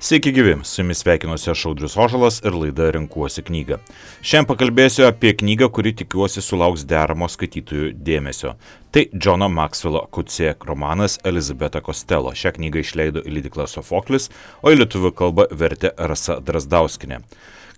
Sveiki gyvi, su jumis sveikinuosi aš Audrius Ožalas ir laida Renkuosi knygą. Šiandien pakalbėsiu apie knygą, kuri tikiuosi sulauks deramo skaitytojų dėmesio. Tai Johno Maxwello Coetzee romanas Elizabeta Costello. Šią knygą išleido leidykla Sofoklis, o į lietuvių kalbą vertė Rasa Drazdauskienė.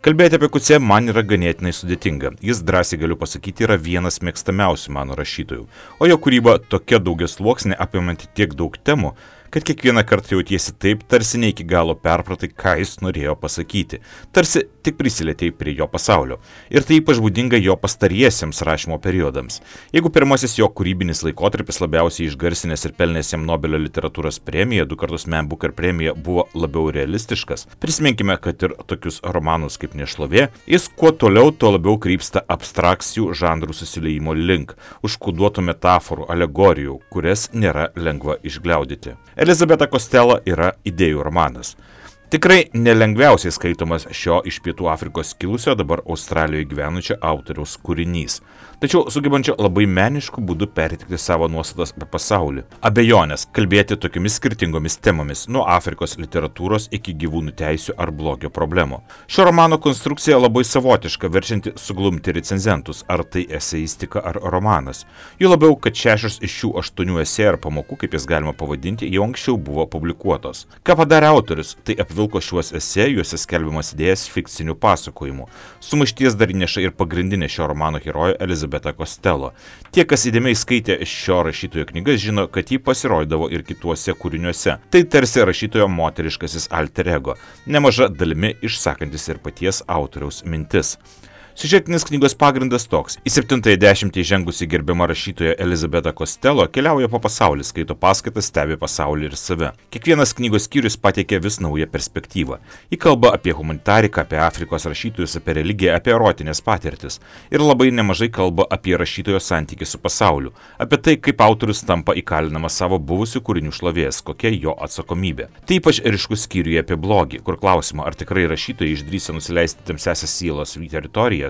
Kalbėti apie Coetzee man yra ganėtinai sudėtinga. Jis, drąsiai galiu pasakyti, yra vienas mėgstamiausių mano rašytojų. O jo kūryba tokia daugiasluoksnė, apimanti tiek daug temų, kad kiekvieną kartą jautiesi taip, tarsi ne iki galo perpratai, ką jis norėjo pasakyti. Tarsi tik prisilietėjai prie jo pasaulio. Ir tai ypač būdinga jo pastariesiems rašymo periodams. Jeigu pirmasis jo kūrybinis laikotarpis labiausiai išgarsinęs ir pelnęs jam Nobelio literatūros premiją, 2 kartus Man Booker premija, buvo labiau realistiškas, prisiminkime, kad ir tokius romanus kaip Nešlovė, jis kuo toliau, tuo labiau krypsta abstrakcijų žanrų susiliejimo link, užkoduotų metaforų, alegorijų, kurias nėra lengva išgliaudyti. Elizabeta Costello yra idėjų romanas. Tikrai nelengviausiai skaitomas šio iš Pietų Afrikos kilusio, dabar Australijoje gyvenančio autoriaus kūrinys. Tačiau sugebančio labai menišku būdu perteikti savo nuostatas apie pasaulį. Abejonės kalbėti tokiamis skirtingomis temomis, nuo Afrikos literatūros iki gyvūnų teisių ar blogio problemų. Šio romano konstrukcija labai savotiška, verčianti suglumti recenzentus, ar tai eseistika ar romanas. Jų labiau, kad 6 iš šių 8 esė ar pamokų, kaip jas galima pavadinti, jau anksčiau buvo publikuotos. Ką padarė autorius, tai apvilko šiuos esė, juose skelbiamas idėjas fikcinių pasakojimų. Sumaišties dar įneša ir pagrindinė šio romano herojė Elizabeta Costello. Tie, kas įdėmiai skaitė šio rašytojo knygas, žino, kad ji pasirodydavo ir kituose kūriniuose. Tai tarsi rašytojo moteriškasis alter ego, nemaža dalimi išsakantis ir paties autoriaus mintis. Siužetinis knygos pagrindas toks. Į 7-ąją dešimtį žengusi gerbiama rašytoja Elizabeta Costello keliauja po pasaulį, skaito paskaitas, stebi pasaulį ir save. Kiekvienas knygos skyrius pateikia vis naują perspektyvą. Ji kalba apie humanitariką, apie Afrikos rašytojus, apie religiją, apie erotinės patirtis. Ir labai nemažai kalba apie rašytojo santykį su pasauliu, apie tai, kaip autorius tampa įkalinamas savo buvusių kūrinių šlovės, kokia jo atsakomybė. Tai ypač ryškus skyriuje apie blogį, kur klausimą, ar tikrai rašytojai išdrįsta nusileisti tamsiąsias sielos teritoriją,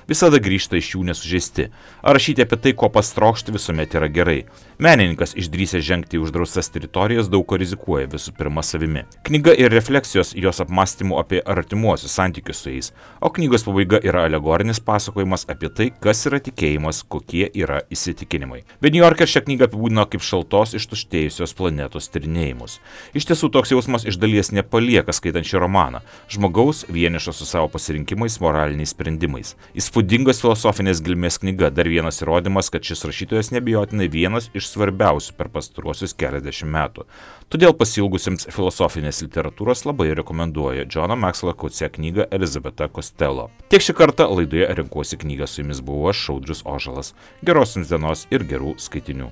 visada grįžta iš jų nesužeisti. Ar rašyti apie tai, ko pastrokšti, visuomet yra gerai. Menininkas išdrįsęs žengti į uždraustas teritorijas daug ko rizikuoja, visų pirma savimi. Knyga ir refleksijos jos apmąstymų apie artimuosius santykius su jais, o knygos pabaiga yra alegorinis pasakojimas apie tai, kas yra tikėjimas, kokie yra įsitikinimai. The New Yorker šią knygą apibūdino kaip šaltos ištuštėjusios planetos tyrinėjimus. Iš tiesų toks jausmas iš dalies nepalieka skaitant šį romaną. Žmogaus vienišo su savo pasirinkimais, moraliniais sprendimais. Įspūdingos filosofinės gelmės knyga, dar vienas įrodymas, kad šis rašytojas nebijotinai vienas iš svarbiausių per pastaruosius keliasdešimt metų. Todėl pasiilgusiems filosofinės literatūros labai rekomenduoju Johno Maxwello Coetzee knygą Elizabeta Costello. Tiek šį kartą laidoje Renkuosi knygą, su jumis buvau aš, Audrius Ožalas. Geros jums dienos ir gerų skaitinių.